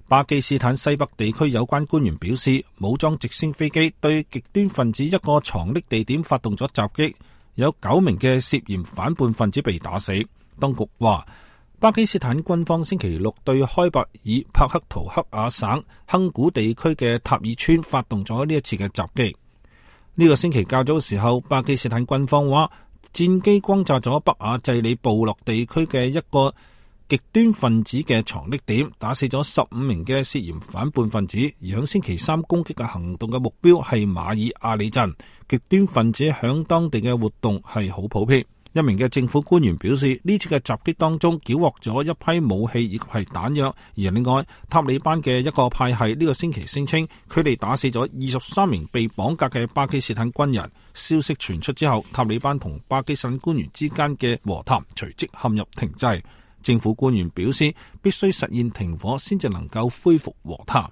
巴基斯坦西北地區有關官員表示，武裝直升飛機對極端分子一個藏匿地點發動咗襲擊，有9名嘅涉嫌反叛分子被打死。當局話，巴基斯坦軍方星期六對開伯爾帕克圖克亞省亨古地區嘅塔爾村發動咗呢一次嘅襲擊。呢個星期較早嘅時候，巴基斯坦軍方話戰機轟炸咗北亞濟里部落地區嘅一個極端分子嘅藏匿點，打死咗15名嘅涉嫌反叛分子。而響星期三攻擊嘅行動嘅目標係馬爾阿里鎮，極端分子響當地嘅活動係好普遍。一名嘅政府官員表示，呢次嘅襲擊當中繳獲咗一批武器以及係彈藥。而另外，塔利班嘅一個派系呢個星期聲稱，佢哋打死咗23名被綁架嘅巴基斯坦軍人。消息傳出之後，塔利班同巴基斯坦官員之間嘅和談隨即陷入停滯。政府官員表示，必須實現停火先至能夠恢復和談。